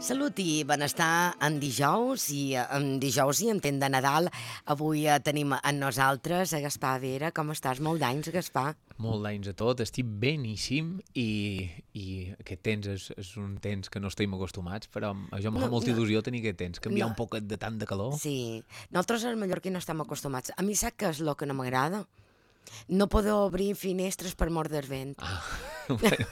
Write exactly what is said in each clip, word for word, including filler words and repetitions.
Salut i benestar en dijous i en dijous i en temps de Nadal. Avui eh, tenim amb nosaltres a Gaspar Vera. Com estàs? Molt d'anys, Gaspar. Molt d'anys a tot, estic beníssim i, i aquest temps és, és un temps que no estem acostumats, però a jo em fa No, molta no. il·lusió tenir aquest temps, canviar No. un poquet de tant de calor. Sí. Nosaltres als mallorquins no estem acostumats. A mi sap què és el que no m'agrada? No poder obrir finestres per mort del vent. Ah, bueno,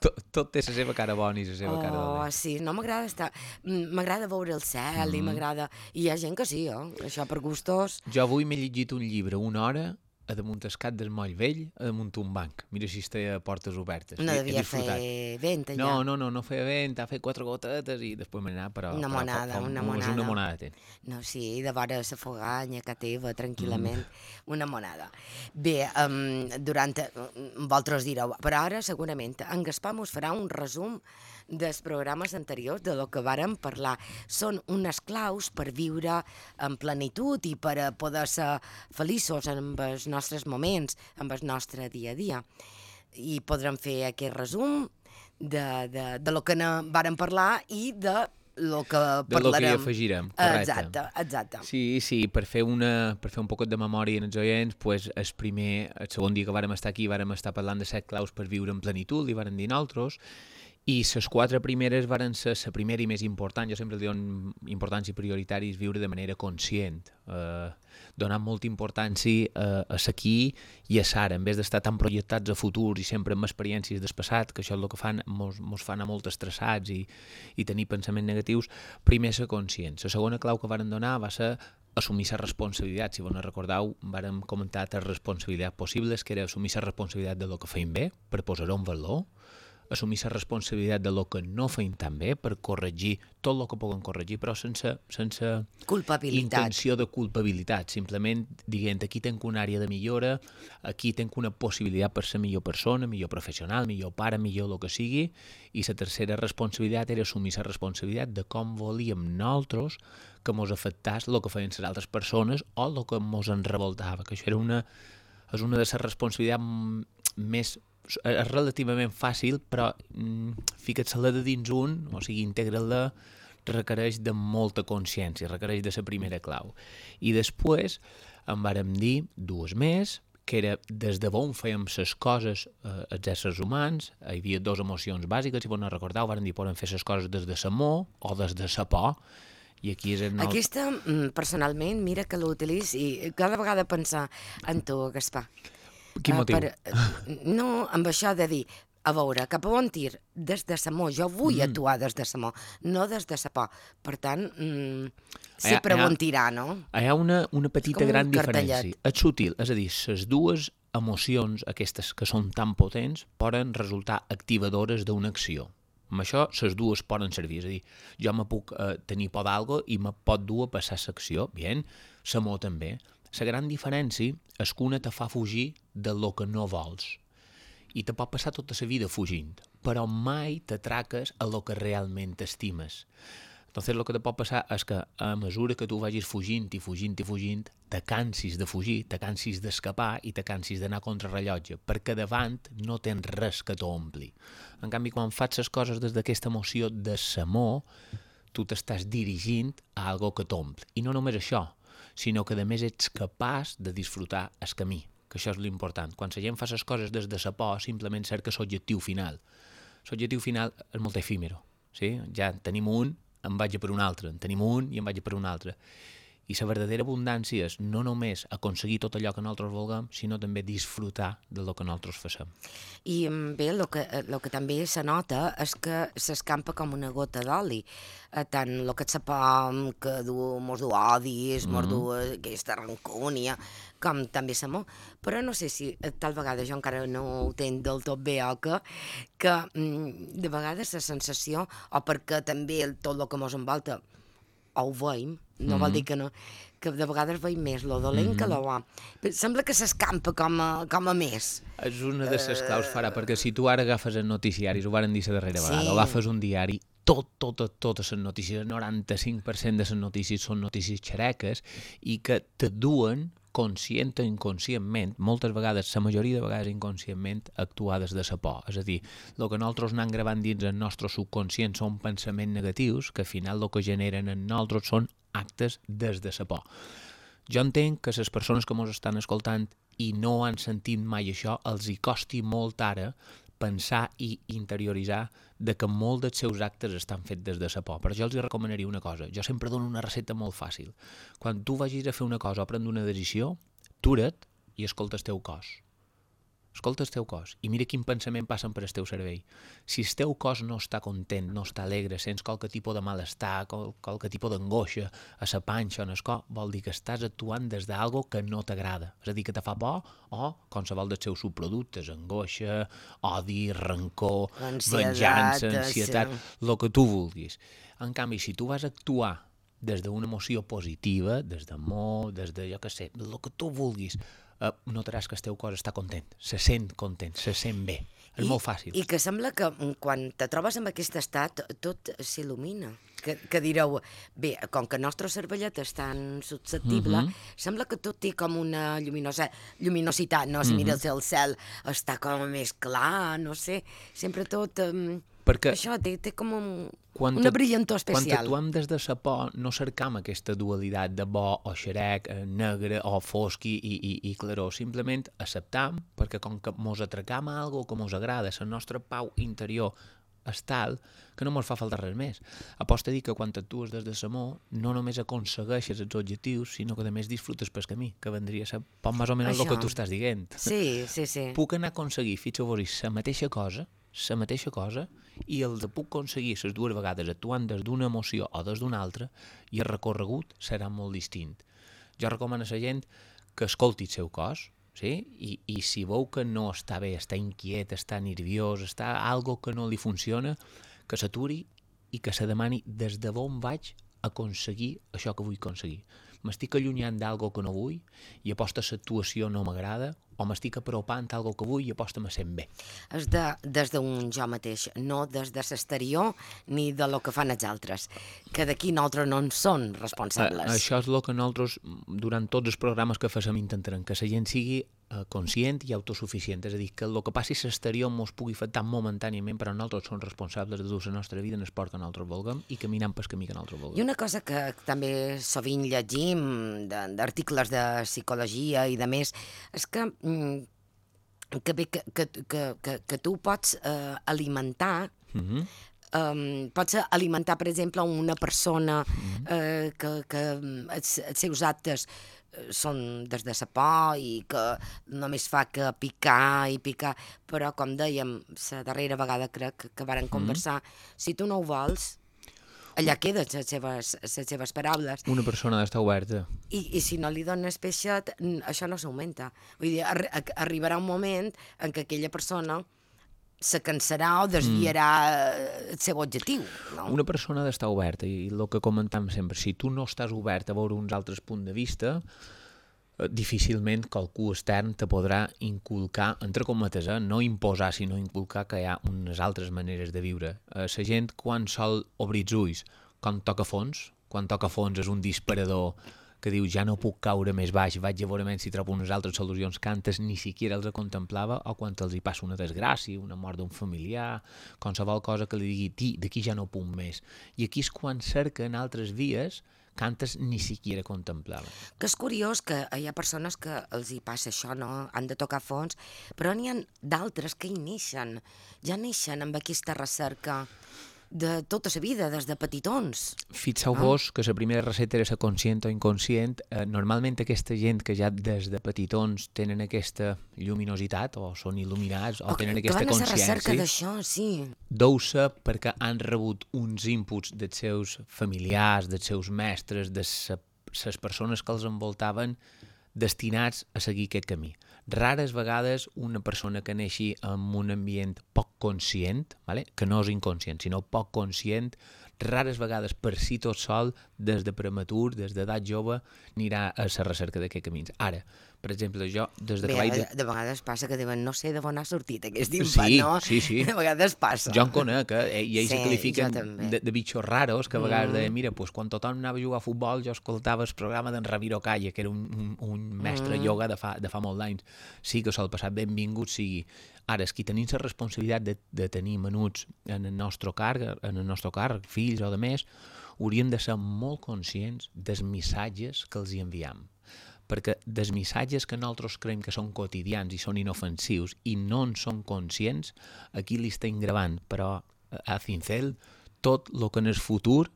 tot, tot té la seva cara bona i la seva cara Oh, dolenta. sí, no m'agrada estar... mm, M'agrada veure el cel i m'agrada... I hi ha gent que sí, eh? Això per gustos... Jo avui m'he llegit un llibre una hora a damunt el cap del moll vell, a damunt un banc. Mira si està a portes obertes. No He- he devia disfrutat. fer vent allà. No, no, no, no feia vent, ha fet quatre gotetes i després m'he anat, però... Una però fa- monada, fa, una és monada. Una monada ten. No, sí, de vora la foganya que teva, tranquil·lament, una monada. Bé, um, durant... um, vosaltres direu, però ara segurament en Gaspar mos farà un resum dels programes anteriors, de lo que vàrem parlar. Són unes claus per viure en plenitud i per a poder ser feliços amb els nostres moments, amb el nostre dia a dia. I podrem fer aquest resum de, de, de lo que ne vàrem parlar i de lo que De lo que hi parlarem. afegirem, correcte. Exacte, exacte. Sí, sí, per fer, una, per fer un poquet de memòria en els oients, pues, el primer, el segon dia que vàrem estar aquí vàrem estar parlant de set claus per viure en plenitud, i vàrem dir nosaltres, i les quatre primeres varen ser la primera i més important. Jo sempre li dono importància prioritària és viure de manera conscient, eh, donant molta importància a, a l'aquí i a l'ara, en vez d'estar tan projectats a futur i sempre amb experiències del passat, que això és el que fan, mos, mos fan a molt estressats i, i tenir pensaments negatius. Primer ser conscient. La segona clau que varen donar va ser assumir la responsabilitat. Si vos no recordeu, vàrem comentar tres responsabilitats possibles, que era assumir la responsabilitat de lo que feim bé, per posar-ho en valor, assumir la responsabilitat de lo que no feim tan bé, per corregir tot el que puguem corregir, però sense, sense Culpabilitat. intenció de culpabilitat, simplement dient aquí tenc una àrea de millora, aquí tenc una possibilitat per ser millor persona, millor professional, millor pare, millor el que sigui, i la tercera responsabilitat era assumir la responsabilitat de com volíem nosaltres que mos afectés el que feien les altres persones o el que mos en revoltava, que això era una, és una de les responsabilitats més és relativament fàcil, però mm, fica't-se-la de dins un, o sigui, integra-la, requereix de molta consciència, requereix de la primera clau. I després en vàrem dir dues més, que era des de on fèiem les coses eh, els éssers humans. Hi havia dues emocions bàsiques, si vos no recordeu, vàrem dir podem fer les coses des de l'amor o des de la por, i aquí és el... Aquesta, mm, personalment, mira que l'utilitzo i cada vegada pensar en tu, Gaspar. Quin Eh, motiu? per- eh, no, amb això de dir, a veure, cap a on tir? Des de l'amor. Jo vull Mm. actuar des de l'amor, no des de la por. Per tant, mm, sé Hi ha- per hi ha- on tirar, no? Hi ha una, una petita com un gran cartellet. diferència. És sutil, és a dir, les dues emocions, aquestes que són tan potents, poden resultar activadores d'una acció. Amb això, les dues poden servir. És a dir, jo me puc eh, tenir por d'algo i me pot dur a passar l'acció. Bien, l'amor també. La gran diferència és que una te fa fugir de lo que no vols. I te pot passar tota la vida fugint, però mai t'atraques a lo que realment estimes. Entonces, el que te pot passar és que a mesura que tu vagis fugint i fugint i fugint, te cansis de fugir, te cansis d'escapar i te cansis d'anar contra rellotge, perquè davant no tens res que t'ompli. En canvi, quan fas les coses des d'aquesta emoció de l'amor, tu t'estàs dirigint a algo que t'ompli. I no només això, sinó que a més ets capaç de disfrutar el camí, que això és l'important. Quan la gent fa les coses des de la por, simplement cerca l'objectiu final. L'objectiu final és molt efímero. Sí? Ja en tenim un, en vaig a per un altre, en tenim un i en vaig a per un altre. I la verdadera abundància és no només aconseguir tot allò que nosaltres vulguem, sinó també disfrutar del que nosaltres facem. I mm, bé, el que, el que també se nota és que s'escampa com una gota d'oli. Eh, tant el que et por, que du, mos du odis, mos du aquesta rancúnia, com també l'amor. Però no sé si eh, tal vegada jo encara no ho tenc del tot bé o que, que mm, de vegades la sensació, o perquè també el- tot el que mos envolta o ho veiem, no vol dir que no, que de vegades veiem més lo dolent que lo bo. Però sembla que s'escampa com a, com a més. És una de les claus farà, perquè si tu ara agafes els noticiaris, ho varen dir la darrera Sí. vegada, o agafes un diari, tot, totes, totes les notícies, el noranta-cinc per cent de les notícies són notícies xereques i que te duen conscient o inconscientment, moltes vegades, la majoria de vegades inconscientment, actuades de la por. És a dir, el que nosaltres anem gravant dins el nostre subconscient són pensaments negatius que al final el que generen en nosaltres són actes des de la por. Jo entenc que les persones que ens estan escoltant i no han sentit mai això, els hi costi molt ara pensar i interioritzar de que molts dels seus actes estan fets des de la por. Però jo els recomanaria una cosa. Jo sempre dono una recepta molt fàcil. Quan tu vagis a fer una cosa o prendre una decisió, atura't i escolta el teu cos. Escolta el teu cos i mira quin pensament passen per el teu cervell. Si el teu cos no està content, no està alegre, sents qualque tipus de malestar, qual, qualque tipus d'angoixa a la panxa o en el cor, vol dir que estàs actuant des d'algo que no t'agrada. És a dir, que te fa por o qualsevol dels seus subproductes, angoixa, odi, rancor, venjança, ansietat, el que tu vulguis. En canvi, si tu vas actuar des d'una emoció positiva, des d'amor, des de, jo què sé, el que tu vulguis, Uh, notaràs que el teu cos està content, se sent content, se sent bé. És I, molt fàcil. I que sembla que quan te trobes en aquest estat tot s'il·lumina. Que, que direu, bé, com que el nostre cervellet és tan susceptible, mm-hmm. sembla que tot té com una lluminosa, lluminositat, no? Si mm-hmm. mires el cel està com més clar, no sé, sempre tot... Um... Perquè això té, té com un, una brillantor especial. Quan actuem des de la por, no cercam aquesta dualitat de bo o xerec, negre o fosc i, i, i claror. Simplement acceptam, perquè com que mos atracam a algo que mos agrada, la nostra pau interior és tal que no mos fa falta res més. Aposta a dir que quan actues des de l'amor no només aconsegueixes els objectius, sinó que a més disfrutes pel camí, que vendria a ser poc més o menys el que tu estàs dient. Sí, sí, sí. Puc anar a aconseguir, fixeu-vos, la mateixa cosa, la mateixa cosa, i els puc aconseguir les dues vegades actuant des d'una emoció o des d'una altra, i el recorregut serà molt distint. Jo recomano a la gent que escolti el seu cos, sí? I, i si veu que no està bé, està inquiet, està nerviós, està algo que no li funciona, que s'aturi i que se demani des de on vaig aconseguir això que vull aconseguir. M'estic allunyant d'algo que no vull i aposta l'actuació no m'agrada, o m'estic apropant a algo que vull i aposta me sent bé. És de, des d'un jo mateix, no des de l'exterior ni de lo que fan els altres, que d'aquí nosaltres no en són responsables. A, això és el que nosaltres, durant tots els programes que fem, intentarem, que la gent sigui eh, conscient i autosuficient, és a dir, que el que passi a l'exterior mos pugui afectar momentàniament, però nosaltres som responsables de dur la nostra vida en el esport que nosaltres vulguem i caminant pel camí que nosaltres vulguem. I una cosa que també sovint llegim d'articles de psicologia i de més, és que que bé que, que, que, que, que tu pots eh, alimentar mm-hmm. um, pots alimentar per exemple una persona mm-hmm. eh, que, que els, els seus actes són des de la por i que només fa que picar i picar, però com dèiem la darrera vegada crec que varen conversar, mm-hmm. si tu no ho vols allà queden les seves, les seves paraules. Una persona ha d'estar oberta. I, I si no li dones peixet, això no s'augmenta. Vull dir, arri arribarà un moment en què aquella persona se cansarà o desviarà mm. el seu objectiu. No? Una persona ha d'estar oberta, i el que comentam sempre, si tu no estàs obert a veure uns altres punts de vista, difícilment qualcú extern te podrà inculcar, entre cometes, eh? no imposar, sinó inculcar que hi ha unes altres maneres de viure. Eh, la gent, quan sol obrir els ulls, quan toca fons, quan toca fons és un disparador que diu ja no puc caure més baix, vaig a veure si trobo unes altres solucions que antes ni siquiera els contemplava, o quan els hi passa una desgràcia, una mort d'un familiar, qualsevol cosa que li digui d'aquí ja no puc més. I aquí és quan cerquen altres vies que antes ni siquiera contemplaven. Que és curiós que hi ha persones que els hi passa això, no? Han de tocar fons, però n'hi ha d'altres que hi neixen, ja neixen amb aquesta recerca de tota la vida, des de petitons. Fixeu-vos ah. que la primera recepta era la conscient o inconscient. Eh, normalment aquesta gent que ja des de petitons tenen aquesta lluminositat o són il·luminats o, o tenen aquesta consciència... Que van a la recerca d'això, sí. Deu-se perquè han rebut uns inputs dels seus familiars, dels seus mestres, de les persones que els envoltaven destinats a seguir aquest camí. Rares vegades una persona que neixi en un ambient poc conscient, vale? Que no és inconscient, sinó poc conscient, rares vegades per si tot sol, des de prematur, des d'edat jove, anirà a la recerca d'aquests camins. Ara, per exemple, jo, des de Bé, que vaig... de, de vegades passa que diuen, no sé d'on ha sortit aquest infant, Sí, no? sí, sí. De vegades passa. Jo en conec, eh? I ells Sí, se qualifiquen jo també. de, de bitxos raros, que a vegades Mm. deien, mira, pues, quan tothom anava a jugar a futbol, jo escoltava el programa d'en Ramiro Calle, que era un, un, un mestre Mm. ioga de fa, de fa molt d'anys. Sí que sol passar, benvingut sigui. Ara, és qui tenim la responsabilitat de, de tenir menuts en el nostre càrrec, en el nostre càrrec, fills o de més, hauríem de ser molt conscients dels missatges que els hi enviam. Perquè dels missatges que nosaltres creiem que són quotidians i són inofensius i no en són conscients, aquí li estem gravant, però a cincel, tot el que en el futur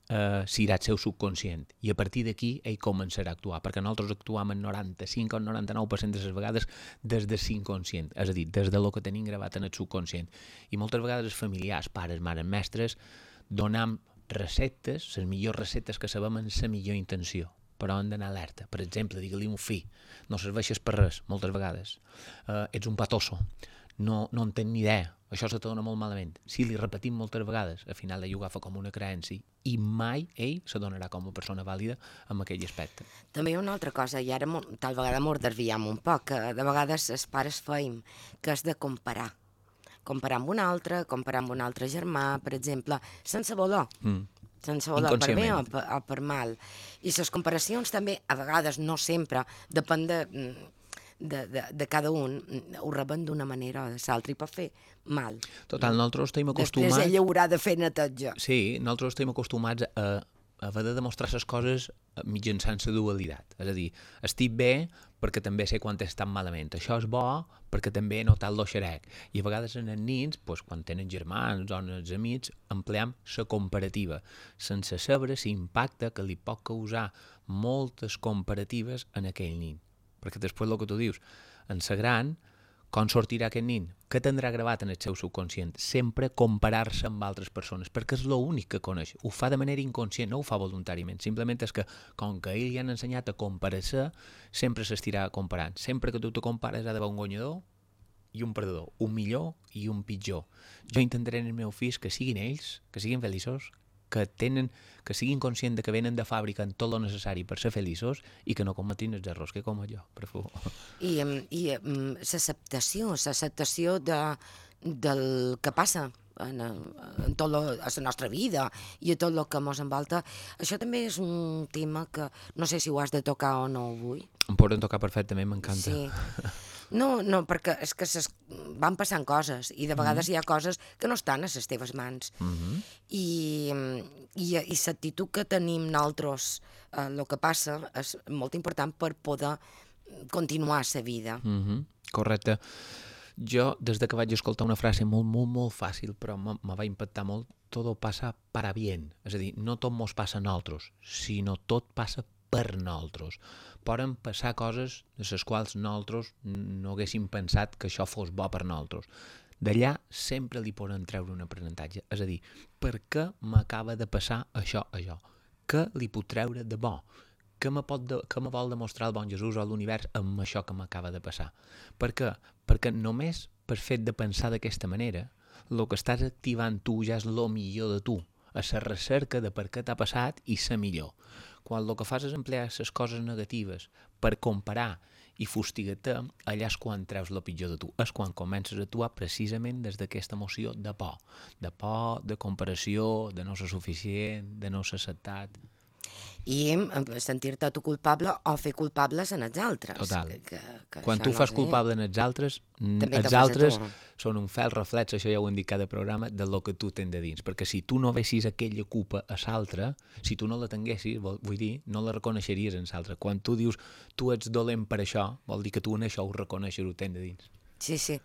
eh, serà el seu subconscient. I a partir d'aquí ell començarà a actuar, perquè nosaltres actuam el noranta-cinc o el noranta-nou per cent de les vegades des del inconscient, és a dir, des de lo que tenim gravat en el subconscient. I moltes vegades els familiars, pares, mares, mestres, donam receptes, les millors receptes que sabem en la millor intenció, però han d'anar alerta. Per exemple, digue-li a un fill, no serveixes per res, moltes vegades. Uh, ets un patoso, no, no en tens ni idea, això se te dona molt malament. Si li repetim moltes vegades, al final ell ho agafa com una creença i mai ell se donarà com una persona vàlida en aquell aspecte. També hi ha una altra cosa, i ara mo- tal vegada m'ho desviem un poc, que de vegades els pares feim, que és de comparar. Comparar amb un altre, comparar amb un altre germà, per exemple, sense voler. Mm. Sense voler, per bé o Inconscientment. per, o per mal. I les comparacions també, a vegades, no sempre, depèn de, de, de, de cada un, ho reben d'una manera o de l'altra i pot fer mal. Total, nosaltres estem acostumats... Després ella haurà de fer neteja. Sí, nosaltres estem acostumats a, a haver de demostrar les coses mitjançant la dualitat. És a dir, estic bé perquè també sé quan estan malament. Això és bo perquè també he notat lo xerec. I a vegades en els nins, doncs, quan tenen germans o els amics, empleam la comparativa, sense saber l'impacte que li pot causar moltes comparatives en aquell nin. Perquè després el que tu dius, en la gran, com sortirà aquest nin? Què tindrà gravat en el seu subconscient? Sempre comparar-se amb altres persones, perquè és l'únic que coneix. Ho fa de manera inconscient, no ho fa voluntàriament. Simplement és que, com que a ell li han ensenyat a comparar-se, sempre s'estirà comparant. Sempre que tu te compares ha d'haver un guanyador i un perdedor, un millor i un pitjor. Jo intentaré en els meus fills que siguin ells, que siguin feliços, que tenen, que siguin conscients de que venen de fàbrica en tot el necessari per ser feliços i que no cometin els errors que com jo, per favor. I, em, i em, l'acceptació, l'acceptació de, del que passa en, en tot lo, a la nostra vida i a tot el que ens envolta, això també és un tema que no sé si ho has de tocar o no avui. Em poden tocar perfectament, m'encanta. Sí. No, no, perquè és que ses, van passant coses i de vegades mm-hmm. hi ha coses que no estan a les teves mans. Mm-hmm. I, i, i l'actitud que tenim nosaltres, eh, el que passa, és molt important per poder continuar la vida. Mm-hmm. Correcte. Jo, des de que vaig escoltar una frase molt, molt, molt fàcil, però me, me va impactar molt, todo pasa para bien. És a dir, no tot mos passa a nosaltres, sinó tot passa per nosaltres. Poden passar coses de les quals nosaltres no haguéssim pensat que això fos bo per nosaltres. D'allà sempre li poden treure un aprenentatge. És a dir, per què m'acaba de passar això, això? Què li puc treure de bo? Què me, pot de, què me vol demostrar el bon Jesús o l'univers amb això que m'acaba de passar? Per què? Perquè només per fet de pensar d'aquesta manera, el que estàs activant tu ja és el millor de tu, a la recerca de per què t'ha passat i ser millor. Quan el que fas és emplear les coses negatives per comparar i fustigar-te, allà és quan treus el pitjor de tu. És quan comences a actuar precisament des d'aquesta emoció de por. De por, de comparació, de no ser suficient, de no ser acceptat. I sentir-te tu culpable o fer culpables en els altres. Total. Que, que Quan tu no fas sé. culpable en els altres, També els te fas a altres tu. són un fel reflex, això ja ho hem dit cada programa, de lo que tu tens de dins. Perquè si tu no vessis aquella culpa a l'altre, si tu no la tinguessis, vol, vull dir, no la reconeixeries en l'altre. Quan tu dius, tu ets dolent per això, vol dir que tu en això ho reconeixes, ho tens de dins. Sí, sí.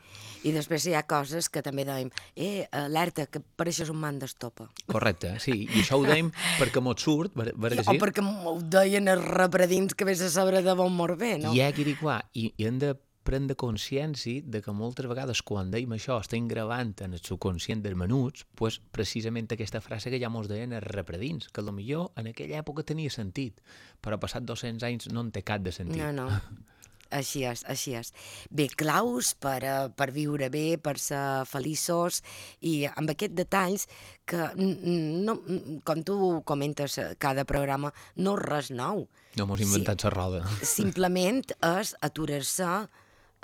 I després hi ha coses que també dèiem, eh, alerta, que pareixes un man d'estopa. Correcte, sí. I això ho dèiem perquè mos surt, ver, ver que O sí? perquè m'ho deien els repredins que vés a saber de bon mort bé, no? I hi ha qui diu, i, i hem de prendre consciència de que moltes vegades quan deim això estem gravant en el subconscient dels menuts, pues, precisament aquesta frase que ja mos deien els repredins, que potser en aquella època tenia sentit, però passat dos-cents anys no en té cap de sentit. No, no. Així és, així és. Bé, claus per, uh, per viure bé, per ser feliços i amb aquests detalls que, no, com tu comentes cada programa, no és res nou. No mos inventat la roda. Simplement és aturar-se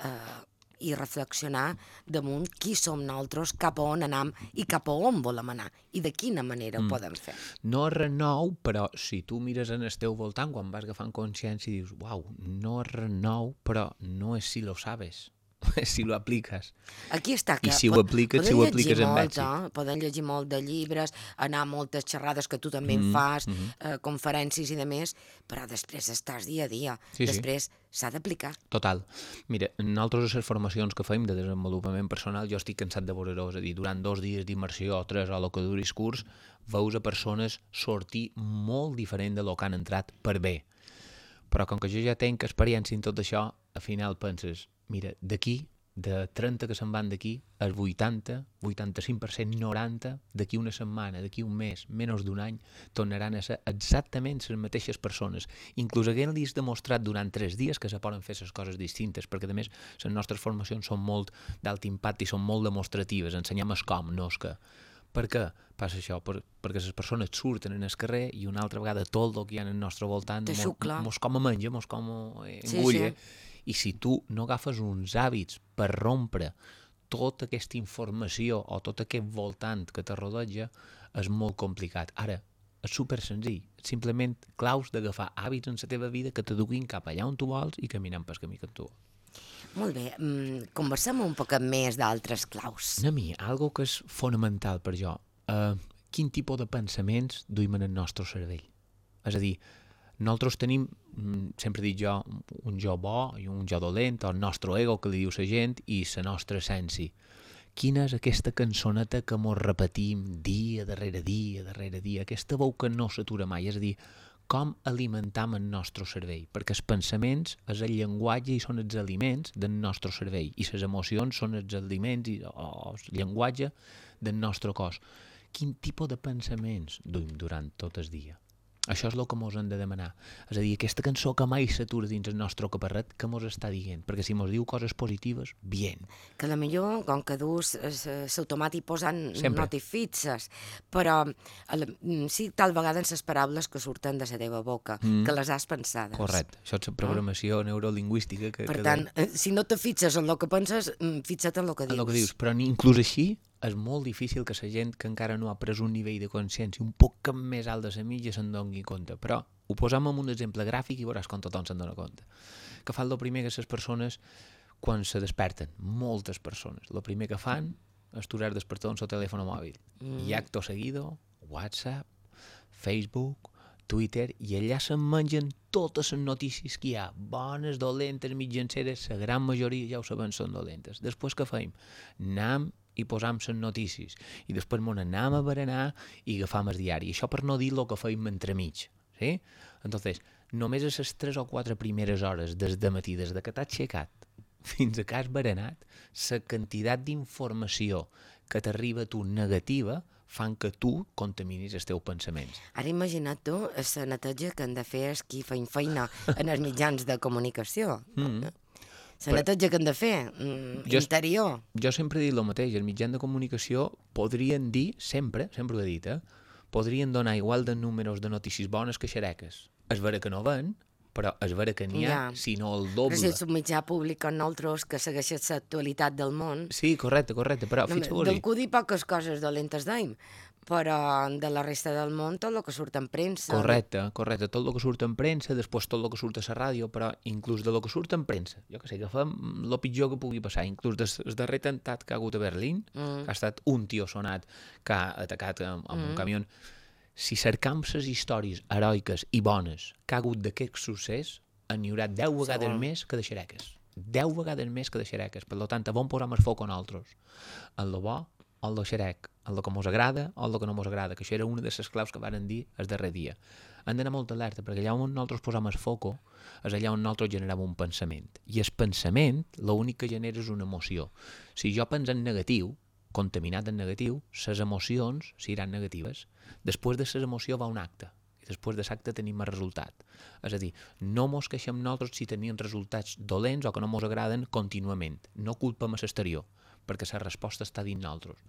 eh, i reflexionar damunt qui som nosaltres, cap a on anam i cap a on volem anar i de quina manera mm. ho podem fer. No és res nou, però si tu mires en el teu voltant, quan vas agafant consciència i dius, uau, no és res nou, però no és si lo sabes, és si lo apliques. Aquí està. Que I si ho apliques, si ho apliques en èxit. Eh? Poden llegir molt de llibres, anar a moltes xerrades que tu també en fas, mm -hmm. eh, conferències i de més, però després estàs dia a dia. Sí, després s'ha d'aplicar. Total. Mira, nosaltres a les formacions que fem de desenvolupament personal, jo estic cansat de veure-ho, és a dir, durant dos dies d'immersió o tres o el que duris curs, veus a persones sortir molt diferent de lo que han entrat per bé. Però com que jo ja tenc experiència en tot això, al final penses, mira, d'aquí, de trenta que se'n van d'aquí, el vuitanta, vuitanta-cinc per cent, noranta, d'aquí una setmana, d'aquí un mes, menys d'un any, tornaran a ser exactament les mateixes persones. Inclús haguent-los demostrat durant tres dies que se poden fer les coses distintes, perquè a més les nostres formacions són molt d'alt impacte i són molt demostratives, ensenyem el com, no el què. Per què passa això? Per, perquè les persones surten en el carrer i una altra vegada tot el que hi ha al nostre voltant mos, mos com a menja, mos com a engulla. Sí, sí. I si tu no agafes uns hàbits per rompre tota aquesta informació o tot aquest voltant que te rodeja, és molt complicat. Ara, és super senzill. Simplement claus d'agafar hàbits en la teva vida que te duguin cap allà on tu vols i caminant pel camí que tu vols. Molt bé, mm, conversem un poc més d'altres claus. A mi, algo que és fonamental per jo, uh, quin tipus de pensaments duim en el nostre cervell. És a dir, nosaltres tenim, sempre dic jo, un jo bo i un jo dolent, o el nostre ego, que li diu la gent, i la nostra essència. Quina és aquesta cançoneta que mos repetim dia darrere dia, darrere dia, aquesta veu que no s'atura mai, és a dir, com alimentam el nostre cervell, perquè els pensaments és el llenguatge i són els aliments del nostre cervell, i les emocions són els aliments i, o el llenguatge del nostre cos. Quin tipus de pensaments duim durant tot el dia? Això és el que mos hem de demanar. És a dir, aquesta cançó que mai s'atura dins el nostre caparret, que mos està dient? Perquè si mos diu coses positives, bien. Que la millor, com que dus l'automàtic posant notes fixes, però sí, tal vegada en les paraules que surten de la teva boca, mm. que les has pensades. Correcte. Això és la programació no? neurolingüística. Que, per que tant, de... si no te fixes en el que penses, fixa't en el que dius. En el que dius, però inclús així, és molt difícil que la gent que encara no ha pres un nivell de consciència un poc més alt de la mitja se'n doni compte. Però ho posam en un exemple gràfic i veuràs com tothom se'n dona compte. Que fan el primer que les persones quan se desperten, moltes persones, el primer que fan és turar despertar en el telèfon mòbil. Mm. I acto seguido, WhatsApp, Facebook, Twitter, i allà se'n mengen totes les notícies que hi ha, bones, dolentes, mitjanceres, la gran majoria ja ho sabem són dolentes. Després què fem? Anem i posam les notícies, i després m'on anam a berenar i agafam el diari. Això per no dir el que feim entremig. Sí? Entonces, només a les tres o quatre primeres hores des de matí, des de que t'has aixecat fins a que has berenat, la quantitat d'informació que t'arriba a tu negativa fan que tu contaminis els teus pensaments. Ara imagina't tu la neteja que han de fer els qui feien feina en els mitjans de comunicació. Mm-hmm. La neteja que han de fer, mm, jo, interior. Jo sempre he dit el mateix, els mitjans de comunicació podrien dir, sempre, sempre ho he dit, eh, podrien donar igual de números de notícies bones que xereques. És vera que no ven, però és vera que n'hi ha, ja. sinó el doble. Però si és un mitjà públic com nosaltres que segueixes l'actualitat del món... Sí, correcte, correcte, però no, fixeu-vos. Del que dir poques coses dolentes d'ahir, però de la resta del món tot el que surt en premsa. Correcte, correcte, tot el que surt en premsa, després tot el que surt a la ràdio, però inclús de lo que surt en premsa, jo que sé, que fem el pitjor que pugui passar, inclús del darrer atemptat que ha hagut a Berlín, mm. que ha estat un tio sonat que ha atacat amb, amb mm. un camió. Si cercam les històries heroiques i bones que ha hagut d'aquest succés, n'hi haurà deu vegades Segon. més que de xereques. Deu vegades més que de xereques. Per tant, on posam el foc a nosaltres? En lo bo o en lo xerec? En lo que mos agrada o en lo que no mos agrada? Que això era una de les claus que varen dir el darrer dia. Hem d'anar molt alerta, perquè allà on nosaltres posam el foc és allà on nosaltres generem un pensament. I el pensament, l'únic que genera és una emoció. Si jo penso en negatiu, contaminat en negatiu, les emocions seran negatives. Després de les emocions va un acte. I després de l'acte tenim el resultat. És a dir, no mos queixem nosaltres si tenim resultats dolents o que no mos agraden contínuament. No culpem a l'exterior, perquè la resposta està dins nosaltres.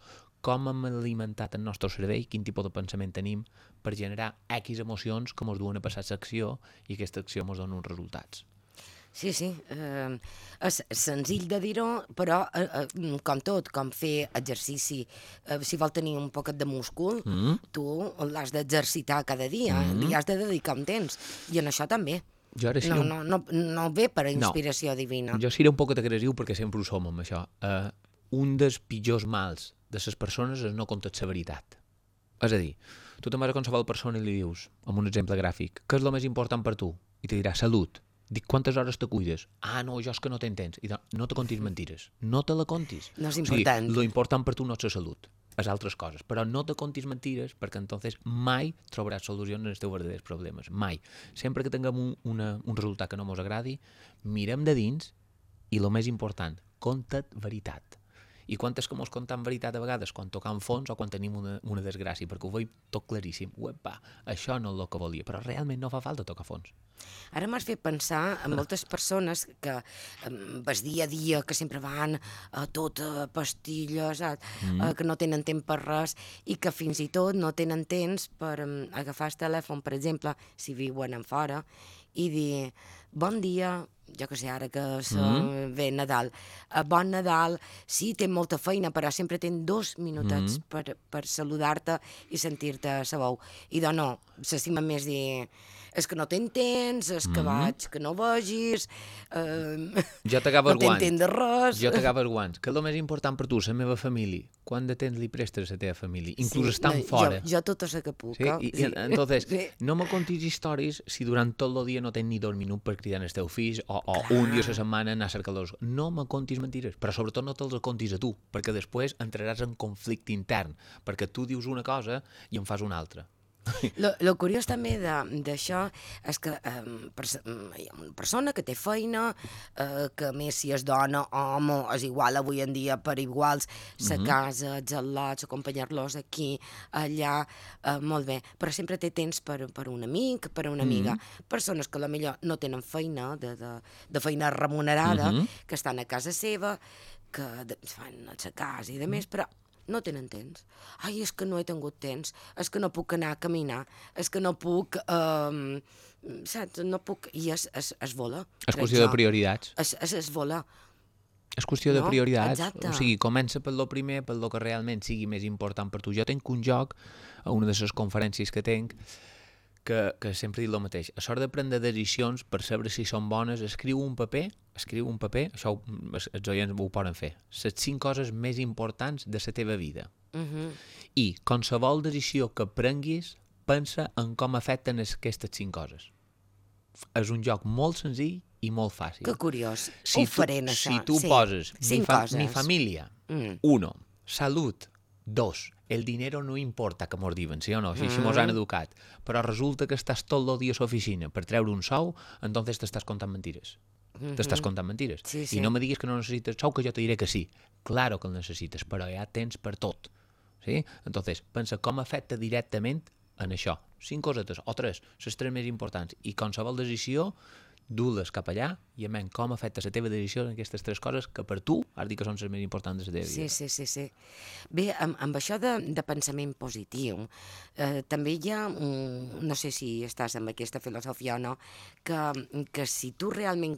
Com hem alimentat el nostre cervell, quin tipus de pensament tenim per generar X emocions que mos duen a passar l'acció i aquesta acció mos dona uns resultats. Sí, sí, eh, és senzill de dir-ho, però eh, eh, com tot, com fer exercici, eh, si vol tenir un poquet de múscul, mm. tu l'has d'exercitar cada dia, mm. li has de dedicar un temps, i en això també. Jo ara no, un... no, no, no ve per inspiració no. divina. Jo seré un poquet agressiu perquè sempre ho som amb això. Uh, un dels pitjors mals de les persones és no contar la veritat. És a dir, tu te'n vas a qualsevol persona i li dius, amb un exemple gràfic, què és el més important per tu? I te dirà, salut. Dic, quantes hores te cuides? Ah, no, jo és que no t'entens. I no te contis mentires. No te la contis. No és important. O sigui, lo important per tu no és la salut, és altres coses. Però no te contis mentires perquè entonces mai trobaràs solucions als teus verdaders problemes. Mai. Sempre que tinguem un, una, un resultat que no mos agradi, mirem de dins i el més important, conta't veritat. I quantes que mos contam veritat a vegades quan tocam fons o quan tenim una, una desgràcia, perquè ho veig tot claríssim. Uepa, això no és el que volia, però realment no fa falta tocar fons. Ara m'has fet pensar en moltes persones que ves dia a dia, que sempre van a tot a pastilles, a, mm. a, que no tenen temps per res i que fins i tot no tenen temps per um, agafar el telèfon, per exemple, si viuen en fora, i dir, bon dia, jo que sé, ara que mm. ve Nadal, uh, bon Nadal, sí, té molta feina, però sempre ten dos minutets mm. per, per saludar-te i sentir-te a sa veu. I doncs no, s'estima més dir, és que no t'entens, és que mm. vaig, que no vegis, eh, jo t'agafo no t'entens de res. Jo t'agafo els guants. Que és el més important per tu, la meva família? Quant de temps li prestes a la teva família? Inclús sí, estan no, fora. Jo, jo tota la que puc. Sí? I, sí. I, entonces, sí. no me contis històries si durant tot el dia no tens ni dos minuts per cridar els teus fills o, o un dia a la setmana anar a cercar-los. No me contis mentires, però sobretot no te'ls contis a tu, perquè després entraràs en conflicte intern, perquè tu dius una cosa i en fas una altra. Lo, lo curiós també d'això és que eh, pers hi ha una persona que té feina, eh, que a més si és dona o home és igual avui en dia per iguals, sa mm-hmm. casa, els al·lots, acompanyar-los aquí, allà, eh, molt bé, però sempre té temps per, per un amic, per una amiga. Mm-hmm. Persones que potser no tenen feina, de, de, de feina remunerada, mm-hmm. que estan a casa seva, que de, fan a la casa i de més, però no tenen temps. Ai, és que no he tingut temps, és que no puc anar a caminar, és que no puc... Um, saps? No puc... I es, es, es vola. És qüestió de prioritats. Es, es, es vola. És qüestió no? de prioritats. Exacte. O sigui, comença per lo primer, per lo que realment sigui més important per tu. Jo tenc un joc, a una de les conferències que tenc, que, que sempre dic el mateix. A sort de prendre decisions per saber si són bones, escriu un paper, escriu un paper, això els oients ho poden fer, les cinc coses més importants de la teva vida. Uh-huh. I qualsevol decisió que prenguis, pensa en com afecten aquestes cinc coses. És un joc molt senzill i molt fàcil. Que curiós, si ho faré en això. Si tu sí. poses mi, fa, mi família, mm. uno, salut, dos, el dinero no importa, que mos diuen, sí o no? Així mm. mos han educat. Però resulta que estàs tot el dia a l'oficina per treure un sou, entonces t'estàs contant mentires. Mm-hmm. T'estàs contant mentires. Sí, sí. I no me diguis que no necessites sou, que jo te diré que sí. Claro que el necessites, però ja tens per tot. Sí? Entonces, pensa com afecta directament en això. Cinc cosetes, o tres, les tres més importants. I qualsevol decisió, du-les cap allà i amen com afecta la teva decisió en aquestes tres coses que per tu has dit que són les més importants de la teva vida. Sí, sí, sí, sí. Bé, amb, amb això de, de pensament positiu, eh, també hi ha, un, no sé si estàs amb aquesta filosofia o no, que, que si tu realment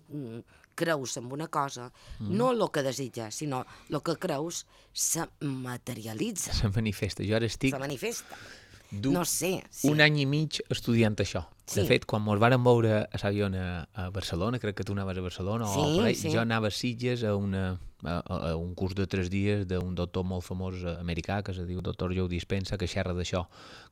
creus en una cosa, mm. no el que desitges, sinó el que creus se materialitza. Se manifesta. Jo ara estic... Se manifesta. No sé. Sí. Un any i mig estudiant això. Sí. De fet, quan ens vàrem veure a l'avió a, a Barcelona, crec que tu anaves a Barcelona, sí, o per ahí, sí. jo anava a Sitges a, una, a, a un curs de tres dies d'un doctor molt famós americà, que es diu doctor Joe Dispenza, que xerra d'això.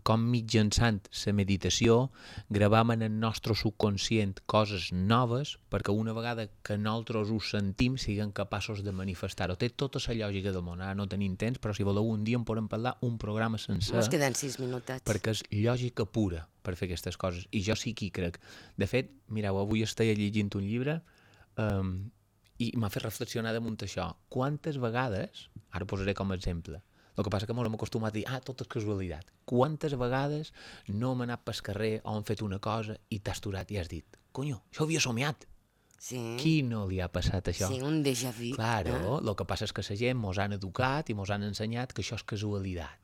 Com mitjançant la meditació gravam en el nostre subconscient coses noves perquè una vegada que nosaltres ho sentim siguem capaços de manifestar-ho. Té tota la lògica del món. Ara no tenim temps, però si voleu un dia en podem parlar un programa sencer. Ens queden sis minutets. Perquè és lògica pura per fer aquestes coses, i jo sí que hi crec. De fet, mireu, avui estic llegint un llibre um, i m'ha fet reflexionar damunt això. Quantes vegades, ara posaré com a exemple, El que passa que ens hem acostumat a dir, ah, tot és casualitat. Quantes vegades no hem anat pel carrer o hem fet una cosa i t'has aturat i has dit, conyo, això ho havia somiat. Sí. Qui no li ha passat això? Sí, un déjà vu. Claro, eh? el que passa és que la gent mos han educat i mos han ensenyat que això és casualitat.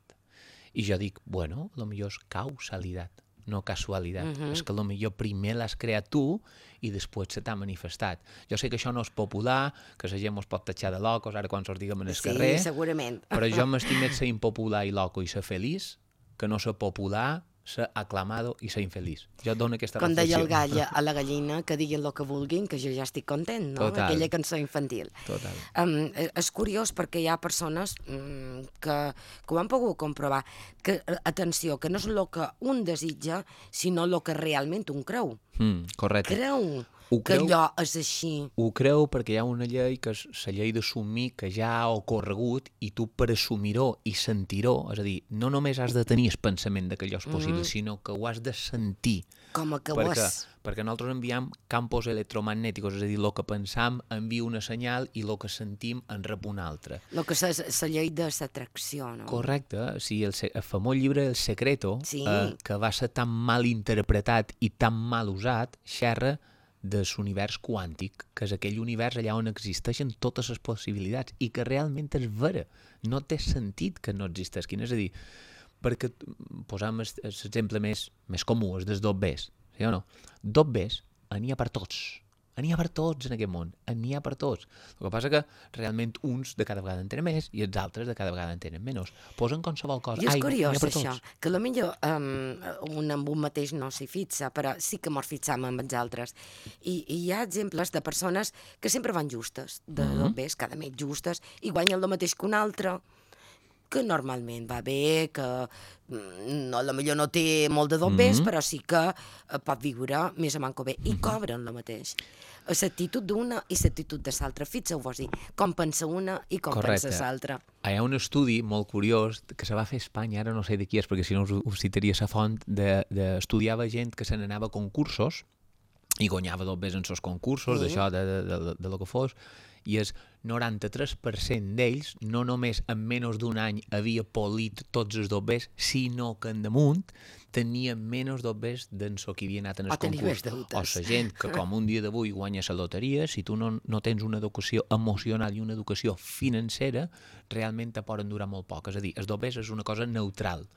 I jo dic, bueno, a lo millor és causalitat, no casualitat. Uh -huh. És que a lo millor primer l'has creat tu i després se t'ha manifestat. Jo sé que això no és popular, que la gent mos pot tatxar de locos, ara quan se'ls diguem en el Sí, carrer, segurament. però jo m'estim més ser impopular i loco i ser feliç que no ser popular, ser aclamado i ser infeliç. Jo et dono aquesta Com reflexió. deia el gall a la gallina, que diguin el que vulguin, que jo ja estic content, no? Total. Aquella cançó infantil. Total. Um, és curiós perquè hi ha persones um, que, que ho han pogut comprovar, que, atenció, que no és el que un desitja, sinó el que realment un creu. Mm, correcte. Creu Ho que creu- allò és així. Ho creu perquè hi ha una llei que és la llei d'assumir que ja ha ocorregut i tu per assumir-ho i sentir-ho, és a dir, no només has de tenir el pensament de que allò és possible, mm. sinó que ho has de sentir. Com a que ho perquè, és. perquè nosaltres enviem campos electromagnètics, és a dir, el que pensam envia una senyal i el que sentim en rep una altra. El que és la llei de l'atracció, no? Correcte, o sigui, el, se- el famós llibre El Secreto, Sí. eh, que va ser tan mal interpretat i tan mal usat, xerra de l'univers quàntic, que és aquell univers allà on existeixen totes les possibilitats i que realment és vera. No té sentit que no existeixin. És a dir, perquè posam l'exemple més, més comú, és dels dobbers, sí o no? Dobbers n'hi ha per tots. N'hi ha per tots en aquest món, n'hi ha per tots. El que passa que realment uns de cada vegada en tenen més i els altres de cada vegada en tenen menys. Posen qualsevol cosa. I és Ai, curiós n'hi ha per això, tots. que potser um, un amb un mateix no s'hi fixa, però sí que mos fixam amb els altres. I, I hi ha exemples de persones que sempre van justes, de mm -hmm. dobbers, cada mes justes, i guanyen el mateix que un altre, que normalment va bé, que mm, no, a lo millor no té molt de dobbers, mm -hmm. però sí que eh, pot viure més o manco bé, i cobren el mateix. L'actitud d'una i l'actitud de l'altra. Fixeu-vos, com pensa una i com Correcte. pensa l'altra. Hi ha un estudi molt curiós que se va fer a Espanya, ara no sé de qui és, perquè si no us, us citaria la font, de, de estudiava gent que se n'anava a concursos i guanyava dobbers en els concursos, Sí. d'això, de, de, de, de lo que fos, i el noranta-tres per cent d'ells no només en menys d'un any havia polit tots els dobbers, sinó que en damunt tenien menys dobbers d'en so que havia anat en el O tenir més concurs. deutes. O la gent que com un dia d'avui guanya la loteria, si tu no, no tens una educació emocional i una educació financera, realment te poden durar molt poc. És a dir, els dobbers és una cosa neutral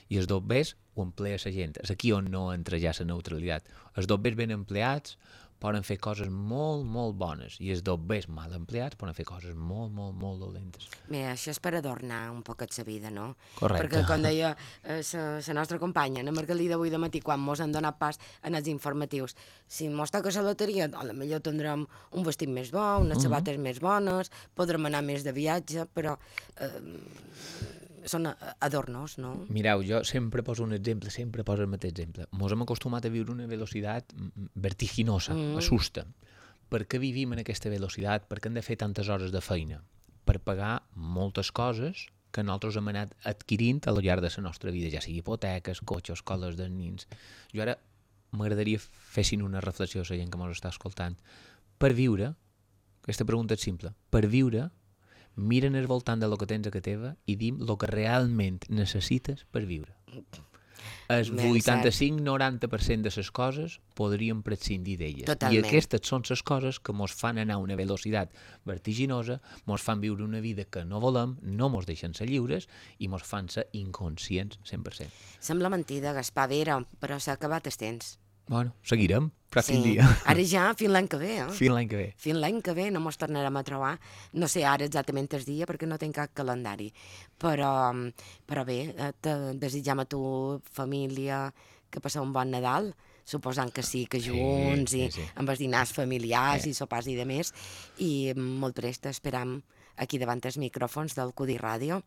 i els dobbers ho emplea la gent. És aquí on no entra ja la neutralitat. Els dobbers ben empleats poden fer coses molt, molt bones i els dobbers mal empleats poden fer coses molt, molt, molt dolentes. Bé, això és per adornar un poquet la vida, no? Correcte. Perquè, com deia eh, la nostra companya, Ana Margalida, avui de matí, quan mos han donat pas en els informatius, si mos toca la loteria, a lo millor tindrem un vestit més bo, unes sabates uh -huh. més bones, podrem anar més de viatge, però eh, són adornos, no? Mireu, jo sempre poso un exemple, sempre poso el mateix exemple. Mos hem acostumat a viure una velocitat vertiginosa, mm. assusta. Per què vivim en aquesta velocitat? Per què hem de fer tantes hores de feina? Per pagar moltes coses que nosaltres hem anat adquirint a lo llarg de la nostra vida, ja sigui hipoteques, cotxes, escoles dels nins. Jo ara m'agradaria fessin una reflexió a la gent que mos està escoltant. Per viure, aquesta pregunta és simple, per viure, mira'n al voltant de lo que tens a casa teva i dim lo que realment necessites per viure. El vuitanta-cinc noranta per cent de les coses podríem prescindir d'elles. Totalment. I aquestes són les coses que mos fan anar a una velocitat vertiginosa, mos fan viure una vida que no volem, no mos deixen ser lliures i mos fan ser inconscients cent per cent. Sembla mentida, Gaspar Vera, però s'ha acabat el temps. Bueno, seguirem, pròxim Sí. dia. Ara ja, fins l'any que ve, eh? Fins l'any que ve. Fins l'any que ve no mos tornarem a trobar. No sé ara exactament el dia perquè no tinc cap calendari. Però, però bé, eh, te desitjam a tu, família, que passeu un bon Nadal, suposant que sí, que junts, sí, i sí. amb els dinars familiars Sí. i sopars i de més. I molt prest esperam aquí davant els micròfons del Cudi Ràdio.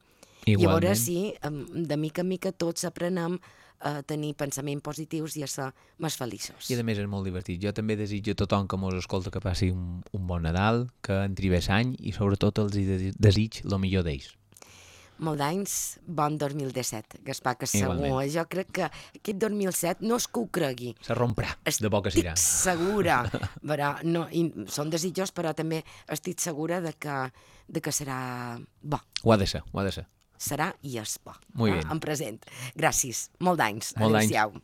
I a veure Igualment. si em, de mica en mica tots aprenem a tenir pensaments positius i a ser més feliços. I a més és molt divertit. Jo també desitjo a tothom que mos escolta que passi un, un bon Nadal, que entri bé l'any i sobretot els hi de- desig el millor d'ells. Molt d'anys, bon dos mil disset, Gaspar, que segur. Igualment. Jo crec que aquest dos mil set no és que ho cregui. Se romprà, de bo que serà. Estic segura. Però, no, i són desitjos, però també estic segura de que, de que serà bo. Ho ha de ser, ho ha de ser. serà i és por. Muy eh? bien. En present. Gràcies. Molt d'anys. Molt d'anys. Adéu-siau.